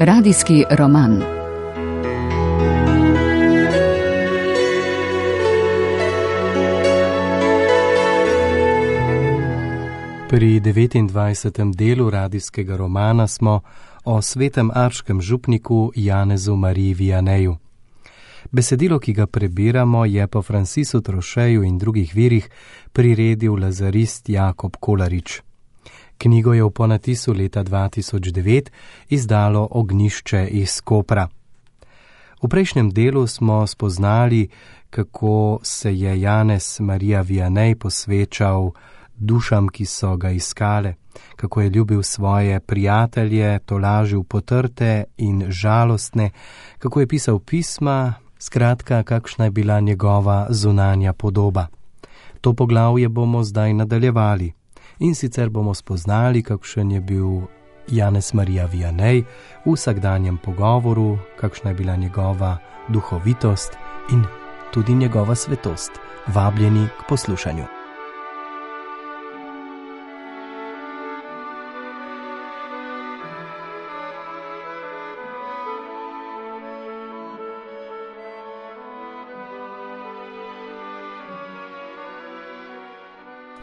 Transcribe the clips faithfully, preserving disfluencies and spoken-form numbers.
Radijski roman. Pri devetindvajsetem delu radijskega romana smo o svetem arškem župniku Janezu Mariji Vianeju. Besedilo, ki ga prebiramo, je po Francisu Trocheju in drugih virih priredil lazarist Jakob Kolarič. Knjigo je v ponatisu leta dva tisoč devet izdalo Ognjišče iz Kopra. V prejšnjem delu smo spoznali, kako se je Janez Marija Vianej posvečal dušam, ki so ga iskale, kako je ljubil svoje prijatelje, tolažil potrte in žalostne, kako je pisal pisma, skratka, kakšna je bila njegova zunanja podoba. To poglavje bomo zdaj nadaljevali in sicer bomo spoznali, kakšen je bil Janez Marija Vianej v vsakdanjem pogovoru, kakšna je bila njegova duhovitost in tudi njegova svetost. Vabljeni k poslušanju.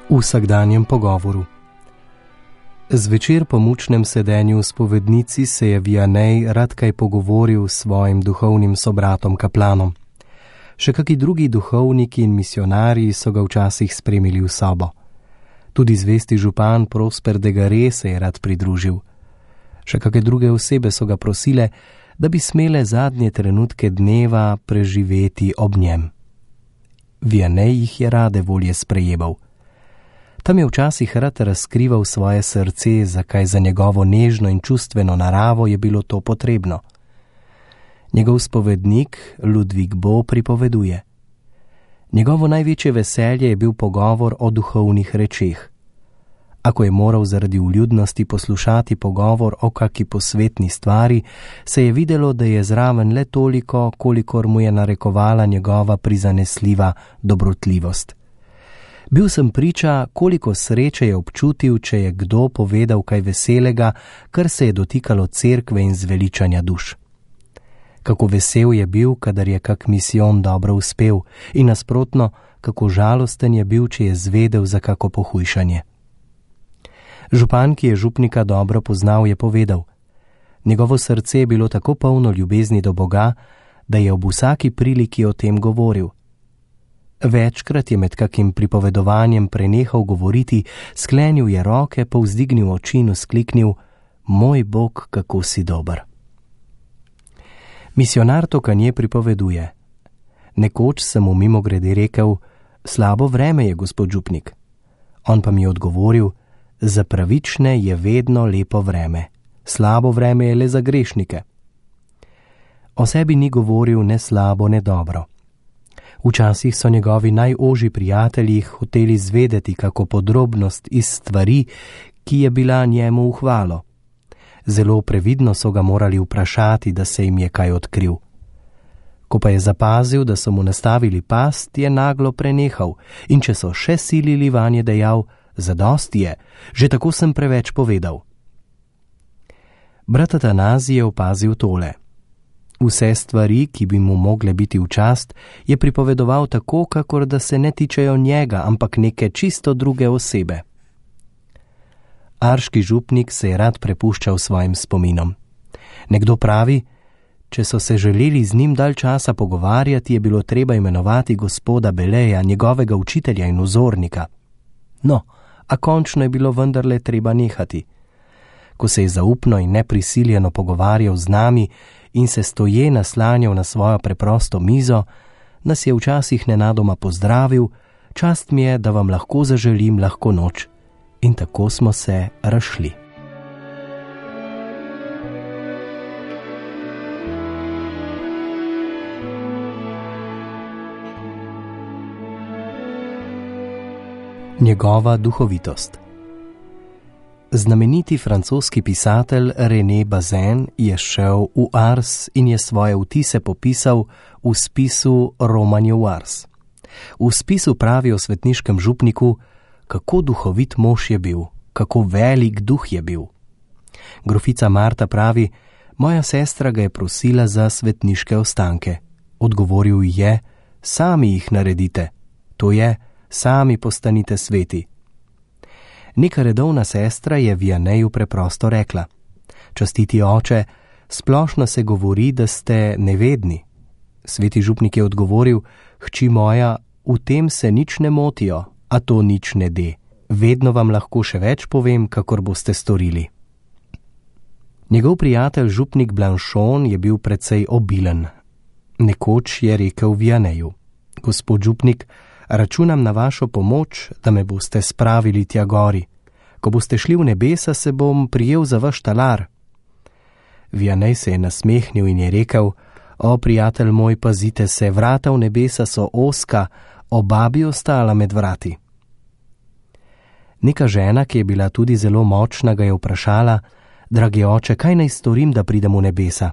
V vsakdanjem pogovoru. Zvečer po mučnem sedenju v spovednici se je Vianej rad kaj pogovoril s svojim duhovnim sobratom kaplanom. Še kaki drugi duhovniki in misionarji so ga včasih spremili v sobo. Tudi zvesti župan Prosper de Gare se je rad pridružil. Še kake druge osebe so ga prosile, da bi smele zadnje trenutke dneva preživeti ob njem. Vianej jih je rade volje sprejemal. Tam je včasih rad razkrival svoje srce, zakaj za njegovo nežno in čustveno naravo je bilo to potrebno. Njegov spovednik Ludvik Bo pripoveduje: njegovo največje veselje je bil pogovor o duhovnih rečeh. Ako je moral zaradi vljudnosti poslušati pogovor o kaki posvetni stvari, se je videlo, da je zraven le toliko, kolikor mu je narekovala njegova prizanesljiva dobrotljivost. Bil sem priča, koliko sreče je občutil, če je kdo povedal kaj veselega, kar se je dotikalo cerkve in zveličanja duš. Kako vesel je bil, kadar je kak misijon dobro uspel, in nasprotno, kako žalosten je bil, če je zvedel za kako pohujšanje. Župan, ki je župnika dobro poznal, je povedal: njegovo srce je bilo tako polno ljubezni do Boga, da je ob vsaki priliki o tem govoril. Večkrat je med kakim pripovedovanjem prenehal govoriti, sklenil je roke, povzdignil oči in vzkliknil: moj Bog, kako si dober. Misionar Tokanje pripoveduje: nekoč sem mu mimogrede rekel: slabo vreme je, gospod župnik. On pa mi je odgovoril: za pravične je vedno lepo vreme, slabo vreme je le za grešnike. O sebi ni govoril ne slabo, ne dobro. Včasih so njegovi najožji prijatelji hoteli zvedeti kako podrobnost iz stvari, ki je bila njemu v hvalo. Zelo previdno so ga morali vprašati, da se jim je kaj odkril. Ko pa je zapazil, da so mu nastavili past, je naglo prenehal in če so še silili vanje, dejal: zadosti je, že tako sem preveč povedal. Brat Atanazij je opazil tole: vse stvari, ki bi mu mogle biti v čast, je pripovedoval tako, kakor da se ne tičejo njega, ampak neke čisto druge osebe. Arški župnik se je rad prepuščal svojim spominom. Nekdo pravi, če so se želeli z njim dalj časa pogovarjati, je bilo treba imenovati gospoda Beleja, njegovega učitelja in vzornika. No, a končno je bilo vendarle treba nehati. Ko se je zaupno in neprisiljeno pogovarjal z nami in se stoje naslanjal na svojo preprosto mizo, nas je včasih nenadoma pozdravil: čast mi je, da vam lahko zaželim lahko noč. In tako smo se razšli. Njegova duhovitost. Znameniti francoski pisatelj René Bazin je šel v Ars in je svoje vtise popisal v spisu Romanje v Ars. V spisu pravi o svetniškem župniku, kako duhovit mož je bil, kako velik duh je bil. Grofica Marta pravi, Moja sestra ga je prosila za svetniške ostanke. Odgovoril je: sami jih naredite, to je, sami postanite sveti. Neka redovna sestra je Vianeju preprosto rekla: častiti oče, splošno se govori, da ste nevedni. Sveti župnik je odgovoril: hči moja, v tem se nič ne motijo, a to nič ne de. Vedno vam lahko še več povem, kakor boste storili. Njegov prijatelj župnik Blanchon je bil precej obilen. Nekoč je rekel Vianeju: gospod župnik, računam na vašo pomoč, da me boste spravili tja gori. Ko boste šli v nebesa, se bom prijel za vaš talar. Vianej se je nasmehnil in je rekel: o, prijatelj moj, pazite se, vrata v nebesa so ozka, oba bi ostala med vrati. Neka žena, ki je bila tudi zelo močna, ga je vprašala: dragi oče, kaj naj storim, da pridem v nebesa?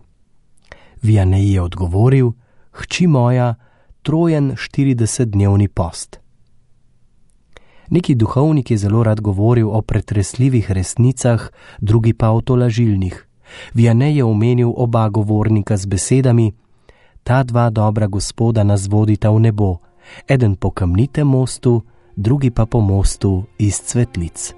Vianej je odgovoril: hči moja, trojen štiridesetdnevni post. Neki duhovnik je zelo rad govoril o pretresljivih resnicah, drugi pa o tolažilnih. Vianej je omenil oba govornika z besedami: ta dva dobra gospoda nas vodita v nebo, eden po kamnitem mostu, drugi pa po mostu iz cvetlic.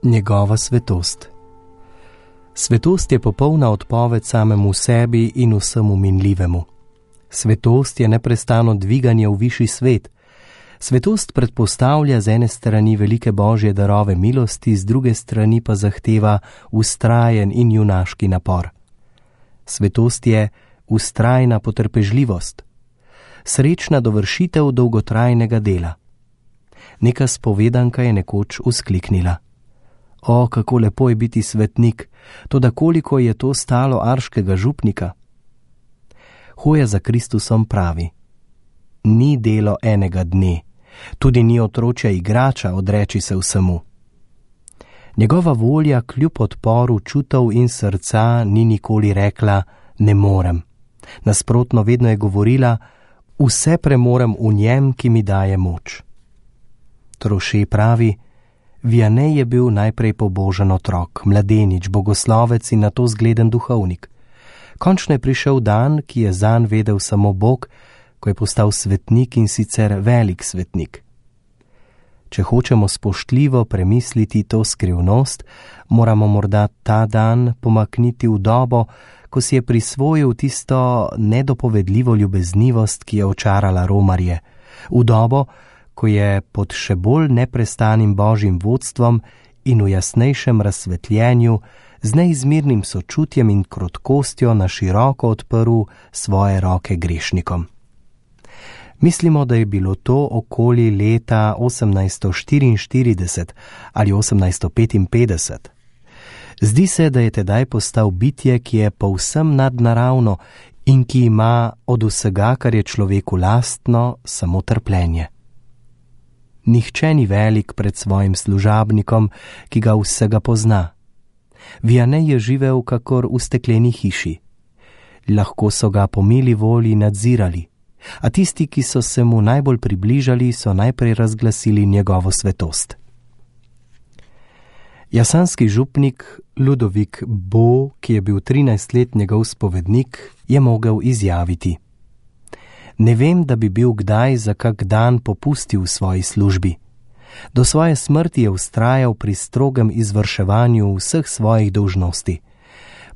Njegova svetost. Svetost je popolna odpoved samemu sebi in vsemu minljivemu. Svetost je neprestano dviganje v višji svet. Svetost predpostavlja z ene strani velike božje darove milosti, z druge strani pa zahteva vztrajen in junaški napor. Svetost je vztrajna potrpežljivost, srečna dovršitev dolgotrajnega dela. Neka spovedanka je nekoč vzkliknila: o, kako lepo je biti svetnik, toda koliko je to stalo arškega župnika? Hoja za Kristusom pravi: ni delo enega dne, tudi ni otročja igrača odreči se vsemu. Njegova volja kljub odporu čutov in srca ni nikoli rekla: ne morem. Nasprotno, vedno je govorila: vse premorem v njem, ki mi daje moč. Troše pravi: Vianej je bil najprej pobožen otrok, mladenič, bogoslovec in nato zgleden duhovnik. Končno je prišel dan, ki je zanj vedel samo Bog, ko je postal svetnik, in sicer velik svetnik. Če hočemo spoštljivo premisliti to skrivnost, moramo morda ta dan pomakniti v dobo, ko si je prisvojil tisto nedopovedljivo ljubeznivost, ki je očarala romarje, v dobo, ko je pod še bolj neprestanim božjim vodstvom in v jasnejšem razsvetljenju z neizmernim sočutjem in krotkostjo na široko odprl svoje roke grešnikom. Mislimo, da je bilo to okoli leta osemnajststo štiriinštirideset ali osemnajststo petinpetdeset. Zdi se, da je tedaj postal bitje, ki je povsem nadnaravno in ki ima od vsega, kar je človeku lastno, samo trpljenje. Nihče ni velik pred svojim služabnikom, ki ga vsega pozna. Vianej je živel kakor v stekleni hiši. Lahko so ga po mili volji nadzirali, a tisti, ki so se mu najbolj približali, so najprej razglasili njegovo svetost. Jasanski župnik Ludovik Bo, ki je bil trinajst let njegov spovednik, je mogel izjaviti: ne vem, da bi bil kdaj za kak dan popustil v svoji službi. Do svoje smrti je vztrajal pri strogem izvrševanju vseh svojih dolžnosti.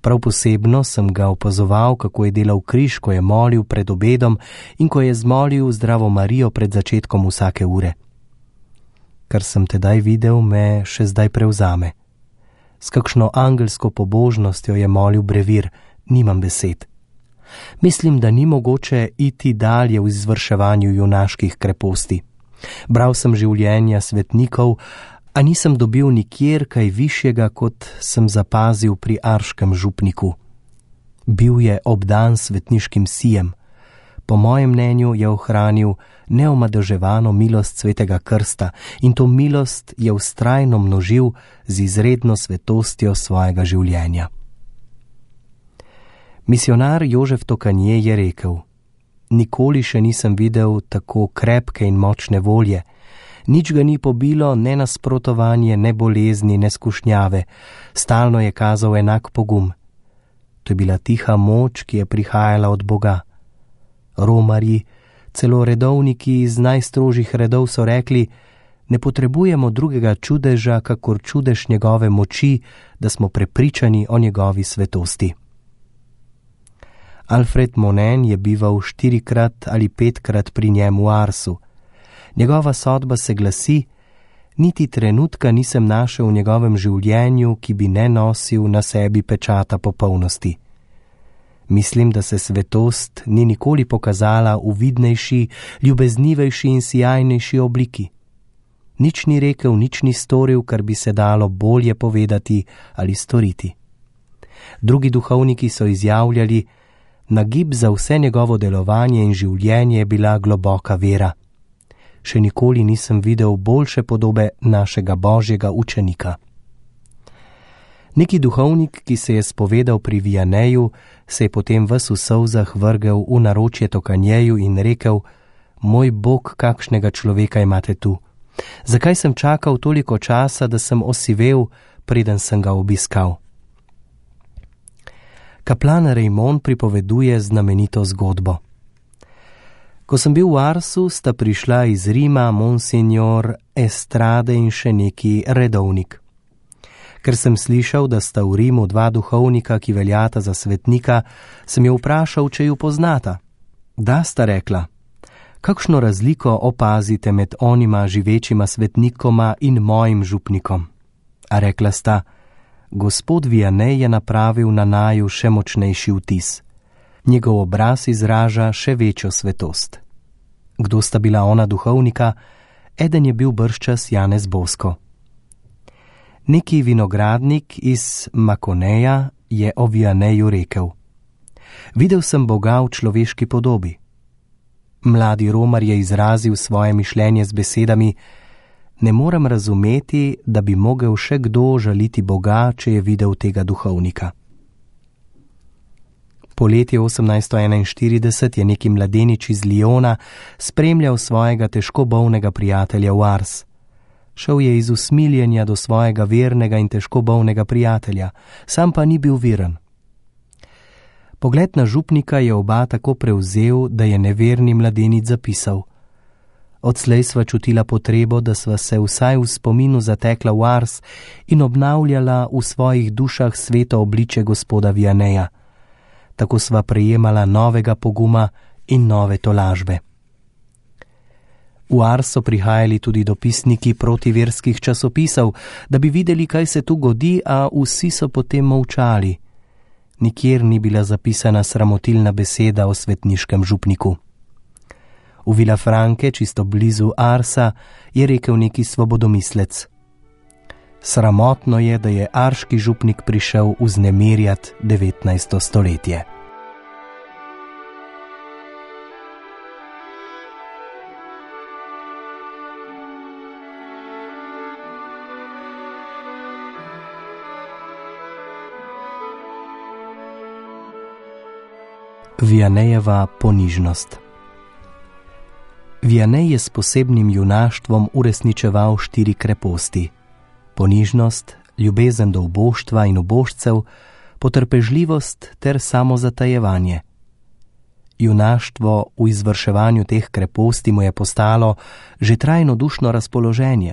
Prav posebno sem ga opazoval, kako je delal križ, ko je molil pred obedom in ko je zmolil Zdravo Marijo pred začetkom vsake ure. Kar sem tedaj videl, me še zdaj prevzame. S kakšno angelsko pobožnostjo je molil brevir, nimam besed. Mislim, da ni mogoče iti dalje v izvrševanju junaških kreposti. Bral sem življenja svetnikov, a nisem dobil nikjer kaj višjega, kot sem zapazil pri arškem župniku. Bil je obdan svetniškim sijem. Po mojem mnenju je ohranil neomadeževano milost svetega krsta in to milost je vztrajno množil z izredno svetostjo svojega življenja. Misionar Jožef Tokanje je rekel: nikoli še nisem videl tako krepke in močne volje, nič ga ni pobilo, ne nasprotovanje, ne bolezni, ne skušnjave, stalno je kazal enak pogum. To je bila tiha moč, ki je prihajala od Boga. Romarji, celo redovniki iz najstrožjih redov so rekli: ne potrebujemo drugega čudeža, kakor čudež njegove moči, da smo prepričani o njegovi svetosti. Alfred Monen je bival štirikrat ali petkrat pri njem v Arsu. Njegova sodba se glasi: niti trenutka nisem našel v njegovem življenju, ki bi ne nosil na sebi pečata popolnosti. Mislim, da se svetost ni nikoli pokazala v vidnejši, ljubeznivejši in sijajnejši obliki. Nič ni rekel, nič ni storil, kar bi se dalo bolje povedati ali storiti. Drugi duhovniki so izjavljali: nagib za vse njegovo delovanje in življenje je bila globoka vera. Še nikoli nisem videl boljše podobe našega božjega učenika. Neki duhovnik, ki se je spovedal pri Vianeju, se je potem ves v solzah vrgel v naročje Tokanjeju in rekel: moj Bog, kakšnega človeka imate tu. Zakaj sem čakal toliko časa, da sem osivel, preden sem ga obiskal? Kaplan Raymond pripoveduje znamenito zgodbo. Ko sem bil v Arsu, sta prišla iz Rima monsignor Estrade in še neki redovnik. Ker sem slišal, da sta v Rimu dva duhovnika, ki veljata za svetnika, sem jo vprašal, če ju poznata. Da, sta rekla. Kakšno razliko opazite med onima živečima svetnikoma in mojim župnikom? A rekla sta: gospod Vianney je napravil na naju še močnejši vtis. Njegov obraz izraža še večjo svetost. Kdo sta bila ona duhovnika? Eden je bil bržčas Janez Bosko. Neki vinogradnik iz Makoneja je o Vianneju rekel: videl sem Boga v človeški podobi. Mladi Romar je izrazil svoje mišljenje z besedami: ne morem razumeti, da bi mogel še kdo žaliti Boga, če je videl tega duhovnika. Poleti osemnajststo enainštirideset je neki mladenič iz Lyona spremljal svojega težko bolnega prijatelja v Ars. Šel je iz usmiljenja do svojega vernega in težko bolnega prijatelja, sam pa ni bil veren. Pogled na župnika je oba tako prevzel, da je neverni mladenič zapisal: odslej sva čutila potrebo, da sva se vsaj v spominu zatekla v Ars in obnavljala v svojih dušah sveto obliče gospoda Vianneja. Tako sva prejemala novega poguma in nove tolažbe. V Ars so prihajali tudi dopisniki protiverskih časopisov, da bi videli, kaj se tu godi, a vsi so potem molčali. Nikjer ni bila zapisana sramotilna beseda o svetniškem župniku. V Vilafranke, čisto blizu Arsa, je rekel neki svobodomislec: sramotno je, da je arški župnik prišel vznemirjat devetnajsto stoletje. Vianneyjeva ponižnost. Vianney je s posebnim junaštvom uresničeval štiri kreposti: ponižnost, ljubezen do uboštva in ubožcev, potrpežljivost ter samozatajevanje. Junaštvo v izvrševanju teh kreposti mu je postalo že trajno dušno razpoloženje.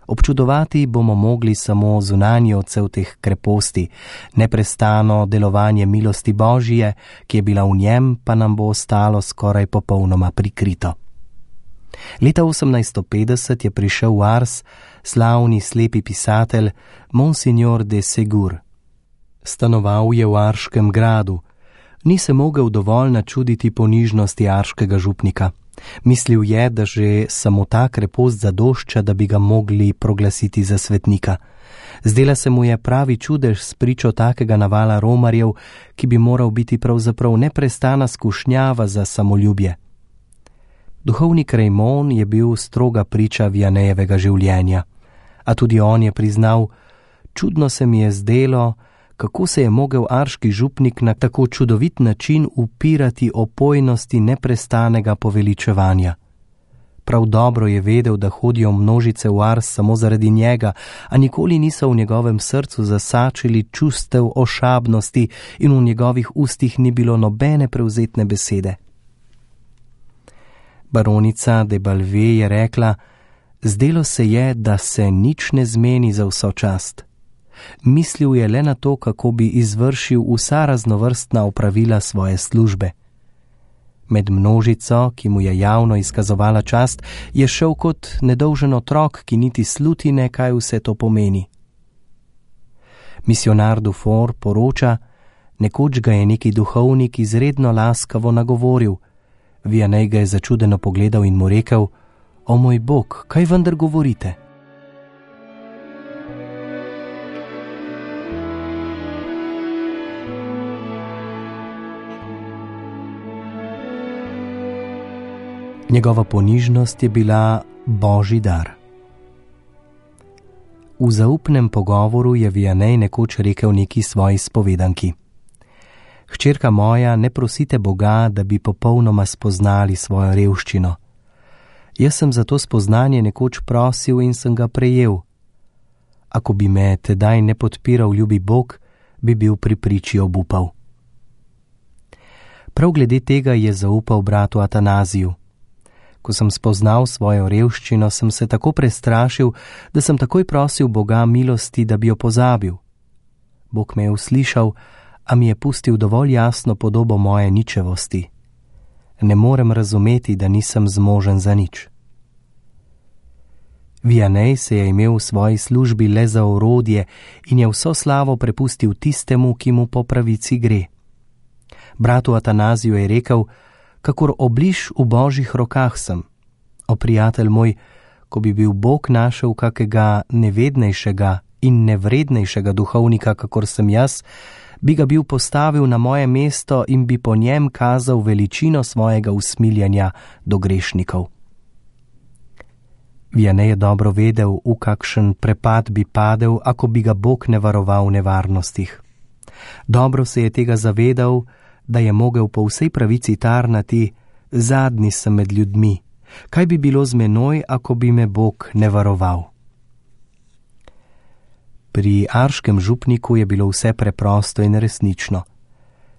Občudovati bomo mogli samo zunanji odsev teh kreposti, neprestano delovanje milosti Božje, ki je bila v njem, pa nam bo ostalo skoraj popolnoma prikrito. Leta osemnajststo petdeset je prišel v Ars slavni slepi pisatelj Monsignor de Segur. Stanoval je v Arškem gradu. Ni se mogel dovolj načuditi ponižnosti arškega župnika. Mislil je, da že samo ta krepost zadošča, da bi ga mogli proglasiti za svetnika. Zdela se mu je pravi čudež s pričo takega navala romarjev, ki bi moral biti pravzaprav neprestana skušnjava za samoljubje. Duhovnik Raymond je bil stroga priča Vianneyjevega življenja, a tudi on je priznal: čudno se mi je zdelo, kako se je mogel arški župnik na tako čudovit način upirati opojnosti neprestanega poveličevanja. Prav dobro je vedel, da hodijo množice v Ars samo zaradi njega, a nikoli niso v njegovem srcu zasačili čustev ošabnosti in v njegovih ustih ni bilo nobene prevzetne besede. Baronica de Balve je rekla: zdelo se je, da se nič ne zmeni za vso čast. Mislil je le na to, kako bi izvršil vsa raznovrstna opravila svoje službe. Med množico, ki mu je javno izkazovala čast, je šel kot nedolžen otrok, ki niti slutine, kaj vse to pomeni. Misionar Dufour poroča, nekoč ga je neki duhovnik izredno laskavo nagovoril. Vianney ga je začudeno pogledal in mu rekel: o moj Bog, kaj vendar govorite? Njegova ponižnost je bila božji dar. V zaupnem pogovoru je Vianney nekoč rekel neki svoji spovedanki: Hčerka moja, ne prosite Boga, da bi popolnoma spoznali svojo revščino. Jaz sem za to spoznanje nekoč prosil in sem ga prejel. Ako bi me tedaj ne podpiral ljubi Bog, bi bil pri priči obupal. Prav glede tega je zaupal bratu Atanaziju. Ko sem spoznal svojo revščino, sem se tako prestrašil, da sem takoj prosil Boga milosti, da bi jo pozabil. Bog me je uslišal, a mi je pustil dovolj jasno podobo moje ničevosti. Ne morem razumeti, da nisem zmožen za nič. Vianney se je imel v svoji službi le za orodje in je vso slavo prepustil tistemu, ki mu po pravici gre. Bratu Atanaziju je rekel: kakor obliž v božjih rokah sem. O prijatelj moj, ko bi bil Bog našel kakega nevednejšega in nevrednejšega duhovnika, kakor sem jaz, bi ga bil postavil na moje mesto in bi po njem kazal veličino svojega usmiljanja do grešnikov. Vianney je dobro vedel, v kakšen prepad bi padel, ako bi ga Bog ne varoval v nevarnostih. Dobro se je tega zavedal, da je mogel po vsej pravici tarnati: zadnji sem med ljudmi, kaj bi bilo z menoj, ako bi me Bog ne varoval? Pri arškem župniku je bilo vse preprosto in resnično.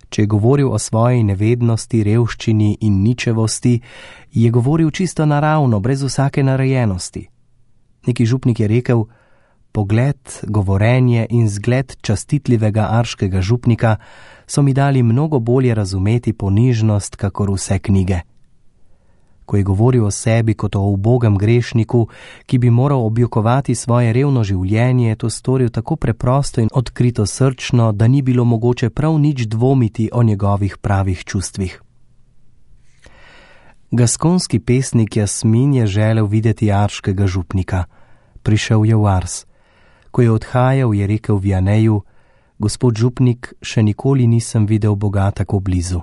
Če je govoril o svoji nevednosti, revščini in ničevosti, je govoril čisto naravno, brez vsake narejenosti. Neki župnik je rekel: pogled, govorenje in zgled častitljivega arškega župnika so mi dali mnogo bolje razumeti ponižnost, kakor vse knjige. Ko je govoril o sebi kot o ubogem grešniku, ki bi moral objokovati svoje revno življenje, je to storil tako preprosto in odkrito srčno, da ni bilo mogoče prav nič dvomiti o njegovih pravih čustvih. Gaskonski pesnik Jasmin je želel videti arškega župnika. Prišel je v Ars. Ko je odhajal, je rekel Vianneyju: gospod župnik, še nikoli nisem videl Boga tako blizu.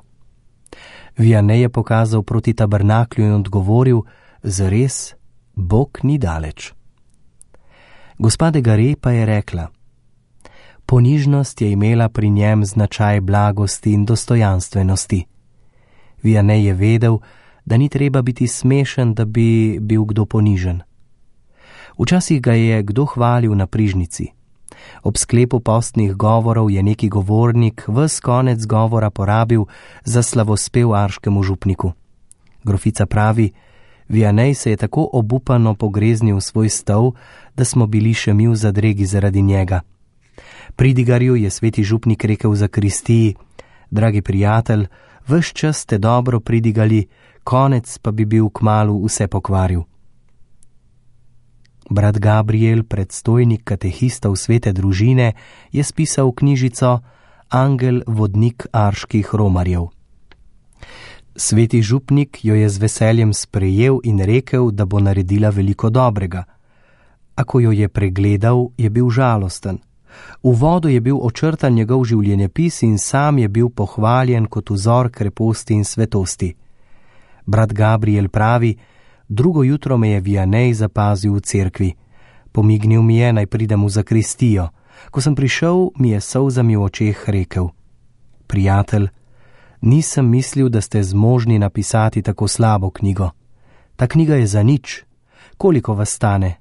Vianney je pokazal proti tabernaklju in odgovoril: zares, Bog ni daleč. Gospa de Gare pa je rekla: ponižnost je imela pri njem značaj blagosti in dostojanstvenosti. Vianney je vedel, da ni treba biti smešen, da bi bil kdo ponižen. Včasih ga je kdo hvalil na prižnici. Ob sklepu postnih govorov je neki govornik ves konec govora porabil za slavospev arškemu župniku. Grofica pravi: Vianney se je tako obupano pogreznil v svoj stol, da smo bili še mi v zadregi zaradi njega. Pridigarju je sveti župnik rekel za Kristiji: dragi prijatelj, ves čas ste dobro pridigali, konec pa bi bil kmalu vse pokvaril. Brat Gabriel, predstojnik katehistov svete družine, je spisal knjižico Angel vodnik arških romarjev. Sveti župnik jo je z veseljem sprejel in rekel, da bo naredila veliko dobrega. A ko jo je pregledal, je bil žalosten. V vodu je bil očrtan njegov življenjepis in sam je bil pohvaljen kot vzor kreposti in svetosti. Brat Gabriel pravi: drugo jutro me je Vianney zapazil v cerkvi. Pomignil mi je, naj pridem v zakristijo. Ko sem prišel, mi je s solzami v očeh rekel: Prijatelj, nisem mislil, da ste zmožni napisati tako slabo knjigo. Ta knjiga je za nič. Koliko vas stane?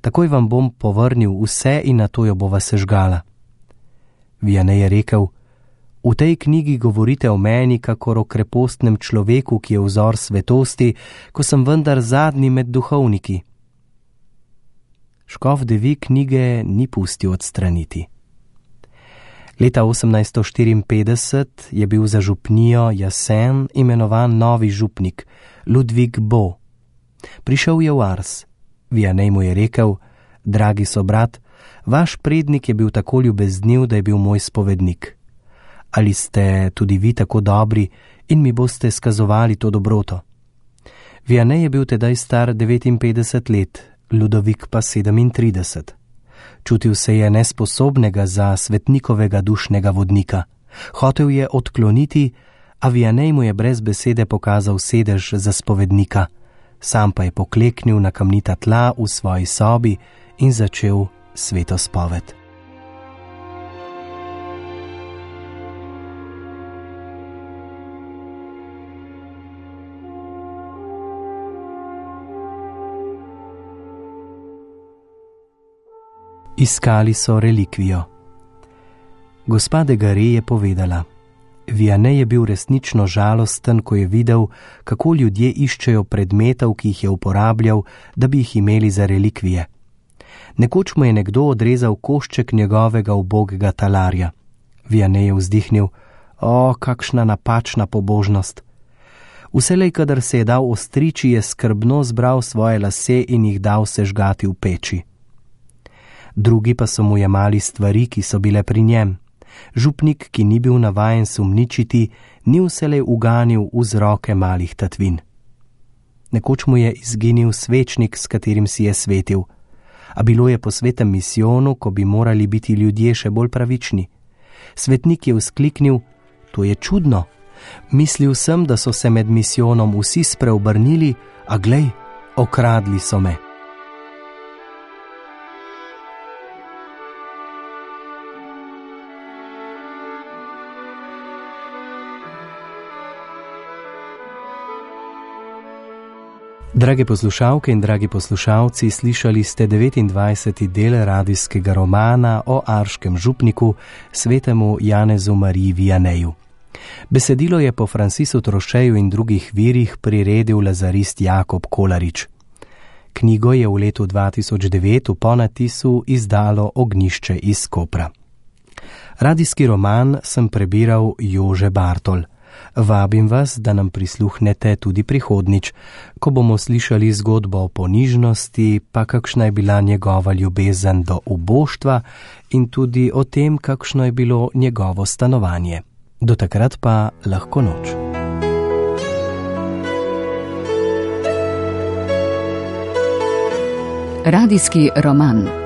Takoj vam bom povrnil vse in nato jo bova sežgala. Vianney je rekel: V tej knjigi govorite o meni kakor o krepostnem človeku, ki je vzor svetosti, ko sem vendar zadnji med duhovniki. Škof de Vie knjige ni pustil odstraniti. Leta osemnajststo štiriinpetdeset je bil za župnijo Jasen imenovan novi župnik, Ludwig Bo. Prišel je v Ars. Vianney mu je rekel: Dragi sobrat, vaš prednik je bil tako ljubezniv, da je bil moj spovednik. Ali ste tudi vi tako dobri in mi boste skazovali to dobroto? Vianney je bil tedaj star devetinpetdeset let, Ludovik pa sedemintrideset. Čutil se je nesposobnega za svetnikovega dušnega vodnika. Hotel je odkloniti, a Vianney mu je brez besede pokazal sedež za spovednika. Sam pa je pokleknil na kamnita tla v svoji sobi in začel sveto spoved. Iskali so relikvijo. Gospa de Garay je povedala: Vianney je bil resnično žalosten, ko je videl, kako ljudje iščejo predmetov, ki jih je uporabljal, da bi jih imeli za relikvije. Nekoč mu je nekdo odrezal košček njegovega ubogega talarja. Vianney je vzdihnil: O, kakšna napačna pobožnost! Vselej, kadar se je dal ostriči, je skrbno zbral svoje lase in jih dal sežgati v peči. Drugi pa so mu jemali stvari, ki so bile pri njem. Župnik, ki ni bil navajen sumničiti, ni vselej uganil vzroke malih tatvin. Nekoč mu je izginil svečnik, s katerim si je svetil. A bilo je po svetem misijonu, ko bi morali biti ljudje še bolj pravični. Svetnik je vzkliknil: To je čudno. Mislil sem, da so se med misijonom vsi spreobrnili, a glej, okradli so me. Drage poslušalke in dragi poslušalci, slišali ste devetindvajseti del radijskega romana o arškem župniku, svetemu Janezu Mariji Vianneyju. Besedilo je po Francisu Trocheju in drugih virih priredil lazarist Jakob Kolarič. Knjigo je v letu dva tisoč devet v ponatisu izdalo Ognjišče iz Kopra. Radijski roman sem prebiral Jože Bartol. Vabim vas, da nam prisluhnete tudi prihodnič, ko bomo slišali zgodbo o ponižnosti, pa kakšna je bila njegova ljubezen do uboštva in tudi o tem, kakšno je bilo njegovo stanovanje. Do takrat pa lahko noč. Radijski roman.